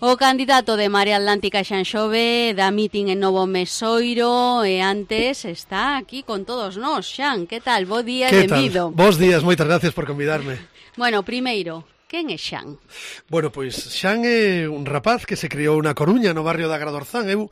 O candidato de Marea Atlántica Xan Xove da mitin en Novo Mesoiro e antes está aquí con todos nós. Xan, que tal? Bo día e benvido. Bos días, moitas gracias por convidarme. Bueno, primeiro, quen é Xan? Bueno, pois Xan é un rapaz que se criou na Coruña, no barrio da Agradorzán. Eu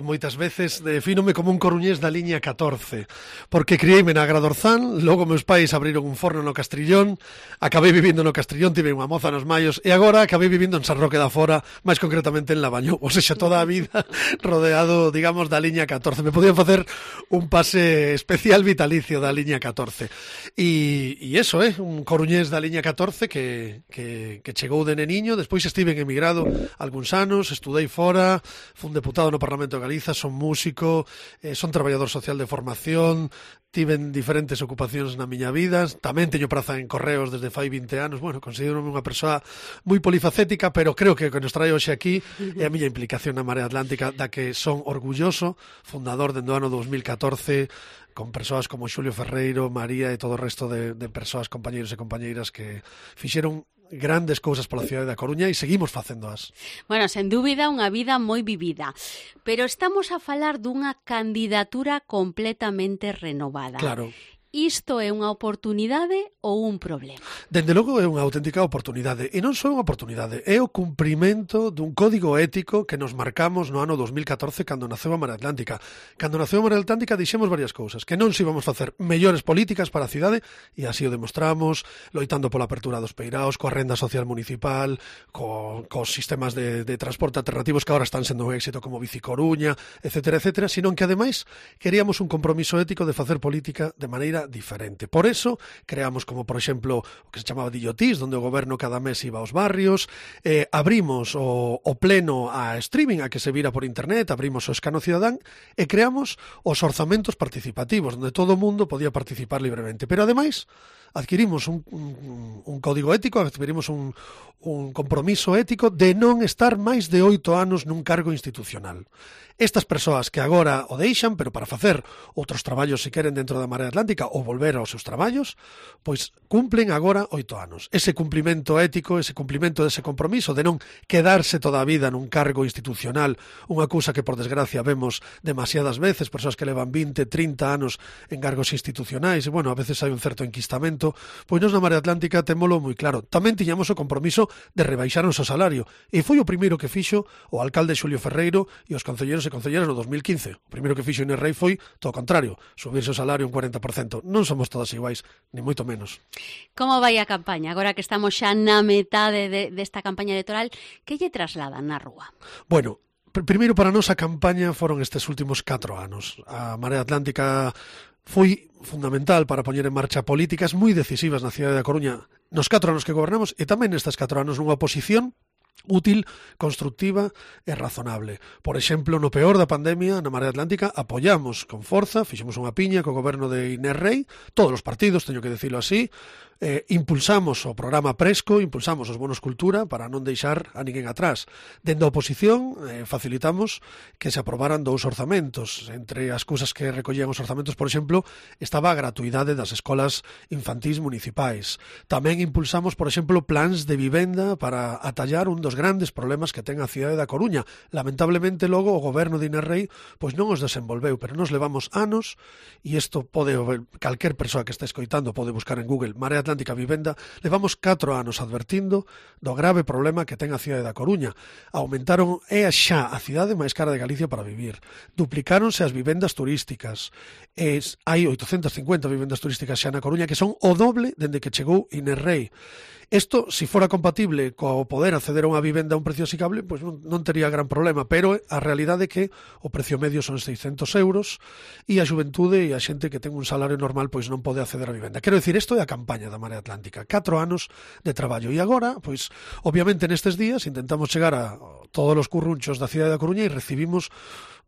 moitas veces defínome como un coruñés da liña 14, porque criei-me na Agradorzán, logo meus pais abriron un forno no Castrillón, acabei vivindo no Castrillón, tive unha moza nos Maios, e agora acabei vivindo en San Roque da Fora, máis concretamente en Lavañou, ou seja, toda a vida rodeado, digamos, da liña 14. Me podían facer un pase especial vitalicio da liña 14. E iso un coruñés da liña 14 que chegou de neniño, despois estive emigrado algúns anos, estudei fora, fun deputado no Parlamento de Galiza, son músico, son traballador social de formación, tiven diferentes ocupacións na miña vida, tamén teño praza en Correos desde fai 20 anos, bueno, considero unha persoa moi polifacética, pero creo que o que nos trae hoxe aquí é a miña implicación na Marea Atlántica, da que son orgulloso, fundador dende o ano 2014, con persoas como Xulio Ferreiro, María e todo o resto de persoas, compañeiros e compañeiras que fixeron grandes cousas pola cidade da Coruña e seguimos facéndoas. Bueno, sen dúbida, unha vida moi vivida. Pero estamos a falar dunha candidatura completamente renovada. Claro. Isto é unha oportunidade ou un problema? Dende logo é unha auténtica oportunidade. E non só unha oportunidade, é o cumprimento dun código ético que nos marcamos no ano 2014 cando naceu a Marea Atlántica. Cando naceu a Marea Atlántica dixemos varias cousas, que non se íbamos facer mellores políticas para a cidade, e así o demostramos, loitando pola apertura dos peiraos, coa renda social municipal, cos sistemas de transporte alternativos que agora están sendo un éxito como Bicicoruña, etcétera, etcétera, sino que ademais queríamos un compromiso ético de facer política de maneira diferente. Por eso creamos como, por exemplo, o que se chamaba Dillotís, donde o goberno cada mes iba aos barrios, abrimos o pleno a streaming, a que se vira por internet, abrimos o escano cidadán e creamos os orzamentos participativos, donde todo o mundo podía participar libremente. Pero ademais adquirimos un código ético, adquirimos un compromiso ético de non estar máis de 8 anos nun cargo institucional. Estas persoas que agora o deixan, pero para facer outros traballos se queren dentro da Marea Atlántica ou volver aos seus traballos, pois cumplen agora 8 anos. Ese cumplimento ético, ese cumplimento dese compromiso de non quedarse toda a vida nun cargo institucional, unha cousa que por desgracia vemos demasiadas veces, persoas que levan 20, 30 anos en cargos institucionais, e bueno, a veces hai un certo enquistamento, pois nos na Marea Atlántica témolo moi claro. Tamén tiñamos o compromiso de rebaixarnos o salario, e foi o primeiro que fixo o alcalde Xulio Ferreiro e os concelleiros e concelleras no 2015. O primeiro que fixo Inés Rei foi todo o contrario, subirse o salario un 40%. Non somos todas iguais, ni moito menos. Como vai a campaña? Agora que estamos xa na metade desta campaña electoral, que lle trasladan na rúa? Bueno, primeiro para nós a campaña foron estes últimos 4 anos. A Marea Atlántica foi fundamental para poñer en marcha políticas moi decisivas na cidade da Coruña nos 4 anos que gobernamos e tamén nestes 4 anos nunha oposición útil, constructiva e razonable. Por exemplo, no peor da pandemia, na Marea Atlántica, apoiamos con forza, fixemos unha piña co goberno de Inés Rei, todos os partidos, teño que dicilo así, impulsamos o programa Presco, impulsamos os bonos cultura para non deixar a ninguén atrás. Dende a oposición facilitamos que se aprobaran 2 orzamentos. Entre as cousas que recollían os orzamentos, por exemplo, estaba a gratuidade das escolas infantís municipais. Tamén impulsamos, por exemplo, plans de vivenda para atallar un dos grandes problemas que ten a cidade da Coruña. Lamentablemente, logo, o goberno de Inés Rei pois non os desenvolveu, pero nos levamos anos, e isto pode, calquer persoa que este escoitando pode buscar en Google Marea Atlántica Vivenda, levamos 4 anos advertindo do grave problema que ten a cidade da Coruña. Aumentaron, é xa a cidade máis cara de Galicia para vivir. Duplicáronse as vivendas turísticas. Hai 850 vivendas turísticas xa na Coruña, que son o doble dende que chegou Inés Rei. Isto, se fora compatible co poder acceder a unha vivenda a un precio asigable, pois non tería gran problema, pero a realidade é que o precio medio son 600 euros e a xuventude e a xente que ten un salario normal pois non pode acceder a vivenda. Quero dicir, isto é a campaña da Marea Atlántica, 4 anos de traballo, e agora, pois, obviamente nestes días intentamos chegar a todos os currunchos da cidade da Coruña e recibimos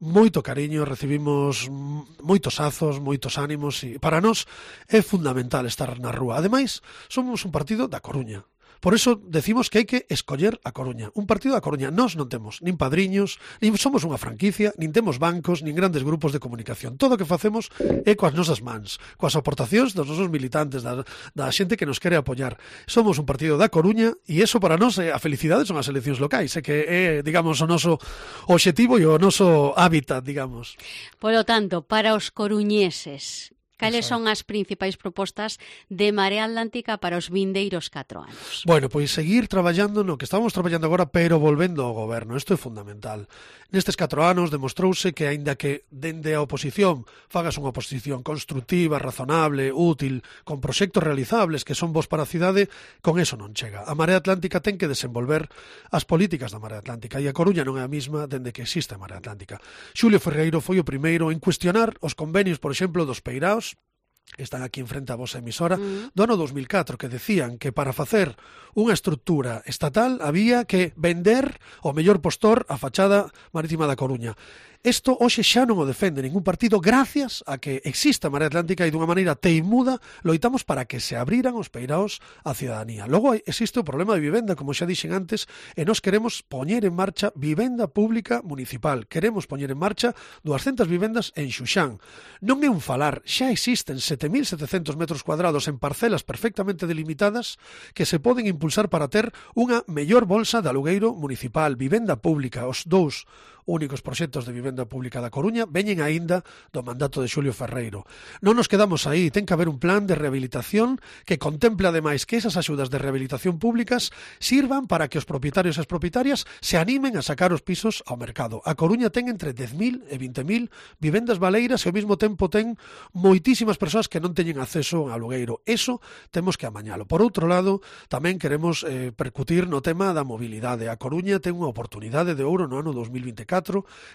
moito cariño, recibimos moitos azos, moitos ánimos, e para nós é fundamental estar na rúa. Ademais, somos un partido da Coruña. Por eso decimos que hai que escoller a Coruña, un partido da Coruña. Nós non temos nin padriños, nin somos unha franquicia, nin temos bancos, nin grandes grupos de comunicación. Todo o que facemos é coas nosas mans, coas aportacións dos nosos militantes, da xente que nos quere apoiar. Somos un partido da Coruña e eso para nós a felicidade son as eleccións locais, que é, digamos, o noso obxectivo e o noso hábitat, digamos. Polo tanto, para os coruñeses, cales son as principais propostas de Marea Atlántica para os vindeiros 4 anos? Bueno, pois seguir traballando no que estamos traballando agora, pero volvendo ao goberno. Isto é fundamental. Nestes 4 anos demostrouse que, aínda que dende a oposición fagas unha oposición constructiva, razonable, útil, con proxectos realizables que son bons para a cidade, con eso non chega. A Marea Atlántica ten que desenvolver as políticas da Marea Atlántica e a Coruña non é a mesma dende que existe a Marea Atlántica. Xulio Ferreiro foi o primeiro en cuestionar os convenios, por exemplo, dos peiraos, están aquí en frente a vosa emisora, do ano 2004, que decían que para facer unha estrutura estatal había que vender o mellor postor a fachada marítima da Coruña. Isto hoxe xa non o defende ningún partido gracias a que exista a Marea Atlántica e dunha maneira teimuda loitamos para que se abriran os peiraos á cidadanía. Logo existe o problema de vivenda, como xa dixen antes, e nós queremos poñer en marcha vivenda pública municipal. Queremos poñer en marcha 200 vivendas en Xuxán. Non é un falar, xa existen 7.700 metros cuadrados en parcelas perfectamente delimitadas que se poden impulsar para ter unha mellor bolsa de alugueiro municipal, vivenda pública. Os dous únicos proxectos de vivenda pública da Coruña veñen aínda do mandato de Xulio Ferreiro. Non nos quedamos aí, ten que haber un plan de rehabilitación que contemple ademais que esas axudas de rehabilitación públicas sirvan para que os propietarios e as propietarias se animen a sacar os pisos ao mercado. A Coruña ten entre 10.000 e 20.000 vivendas baleiras e ao mesmo tempo ten moitísimas persoas que non teñen acceso a alugueiro. Eso temos que amañalo. Por outro lado, tamén queremos percutir no tema da mobilidade. A Coruña ten unha oportunidade de ouro no ano 2024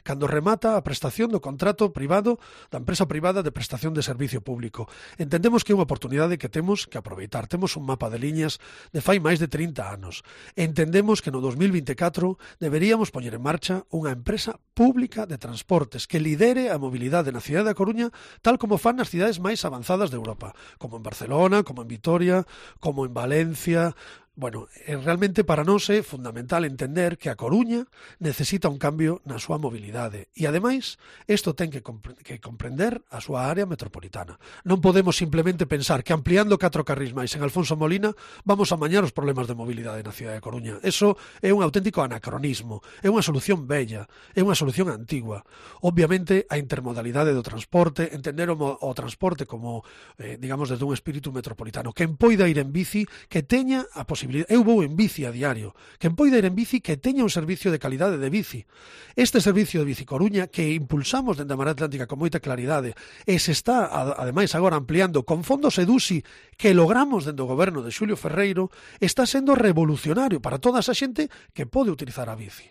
cando remata a prestación do contrato privado da empresa privada de prestación de servicio público. Entendemos que é unha oportunidade que temos que aproveitar. Temos un mapa de liñas de fai máis de 30 anos. Entendemos que no 2024 deberíamos poñer en marcha unha empresa pública de transportes que lidere a mobilidade na cidade da Coruña tal como fan nas cidades máis avanzadas de Europa, como en Barcelona, como en Vitoria, como en Valencia. Bueno, realmente para nós é fundamental entender que a Coruña necesita un cambio na súa mobilidade e, ademais, isto ten que comprender a súa área metropolitana. Non podemos simplemente pensar que ampliando 4 carrís máis en Alfonso Molina vamos a amañar os problemas de mobilidade na cidade de Coruña. Eso é un auténtico anacronismo, é unha solución bella, é unha solución antigua. Obviamente, a intermodalidade do transporte, entender o transporte como, digamos, desde un espírito metropolitano. Quen poida ir en bici, que teña a posibilidade. Eu vou en bici a diario. Quen poida ir en bici, que teña un servicio de calidade de bici. Este servicio de Bici Coruña, que impulsamos dende a Marea Atlántica con moita claridade, e se está, ademais, agora ampliando con fondos EDUSI que logramos dende o goberno de Xulio Ferreiro, está sendo revolucionario para toda esa xente que pode utilizar a bici.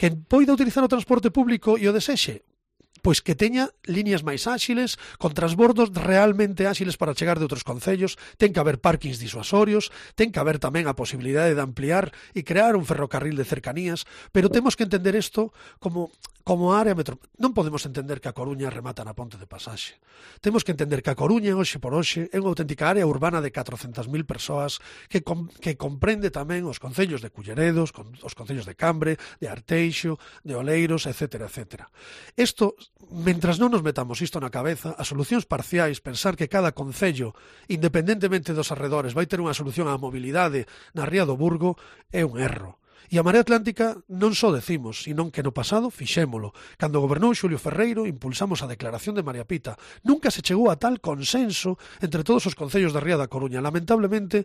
Quen poida utilizar o transporte público e o desexe, pois que teña líneas máis áxiles, con transbordos realmente áxiles para chegar de outros concellos, ten que haber parkings disuasorios, ten que haber tamén a posibilidade de ampliar e crear un ferrocarril de cercanías, pero temos que entender isto como área metropolitana. Non podemos entender que a Coruña remata na ponte de pasaxe. Temos que entender que a Coruña, hoxe por hoxe, é unha auténtica área urbana de 400.000 persoas que comprende tamén os concellos de Culleredos, os concellos de Cambre, de Arteixo, de Oleiros, etc. etc. Isto, mentras non nos metamos isto na cabeza, as solucións parciais, pensar que cada concello, independentemente dos arredores, vai ter unha solución á mobilidade na Ría do Burgo, é un erro. E a Marea Atlántica non só decimos, senón que no pasado fixémolo. Cando gobernou Xulio Ferreiro, impulsamos a declaración de María Pita. Nunca se chegou a tal consenso entre todos os concellos da Ría da Coruña. Lamentablemente,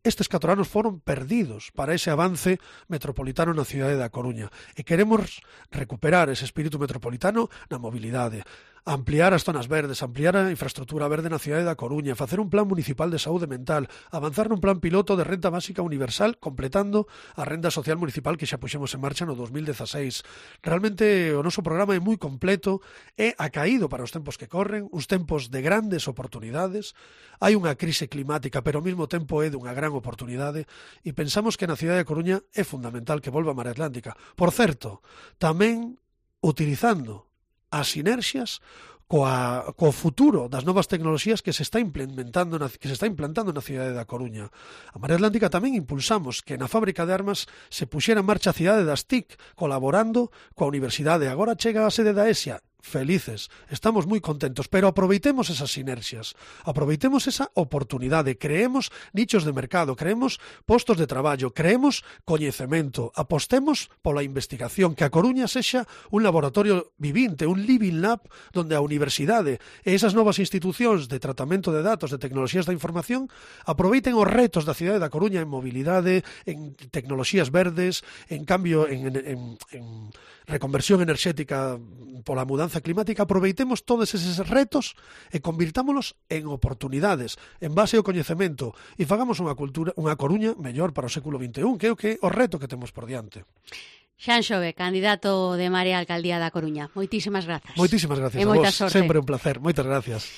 estes 4 anos foron perdidos para ese avance metropolitano na cidade da Coruña. E queremos recuperar ese espírito metropolitano na mobilidade. Ampliar as zonas verdes, ampliar a infraestructura verde na cidade da Coruña, facer un plan municipal de saúde mental, avanzar nun plan piloto de renta básica universal, completando a renda social municipal que xa puxemos en marcha no 2016. Realmente o noso programa é moi completo, é acaído para os tempos que corren, uns tempos de grandes oportunidades. Hai unha crise climática, pero ao mesmo tempo é dunha gran oportunidade, e pensamos que na cidade da Coruña é fundamental que volva a Marea Atlántica. Por certo, tamén utilizando as sinerxias co futuro das novas tecnoloxías que se está implantando na cidade da Coruña. A Marea Atlántica tamén impulsamos que na fábrica de armas se puxera en marcha a cidade das TIC, colaborando coa universidade. Agora chega a sede da ESIA. Felices, estamos moi contentos, pero aproveitemos esas sinerxias, aproveitemos esa oportunidade, creemos nichos de mercado, creemos postos de traballo, creemos coñecemento, apostemos pola investigación, que a Coruña sexa un laboratorio vivinte, un living lab, donde a universidade e esas novas institucións de tratamento de datos, de tecnoloxías da información, aproveiten os retos da cidade da Coruña en mobilidade, en tecnoloxías verdes, en cambio, en reconversión enerxética pola mudanza climática. Aproveitemos todos eses retos e convirtámonos en oportunidades en base ao coñecemento e fagamos unha Coruña mellor para o século XXI, que é o reto que temos por diante. Xan Xove, candidato de Marea á Alcaldía da Coruña. Moitísimas grazas. Moitísimas gracias a vos. Sorte. Sempre un placer. Moitas gracias.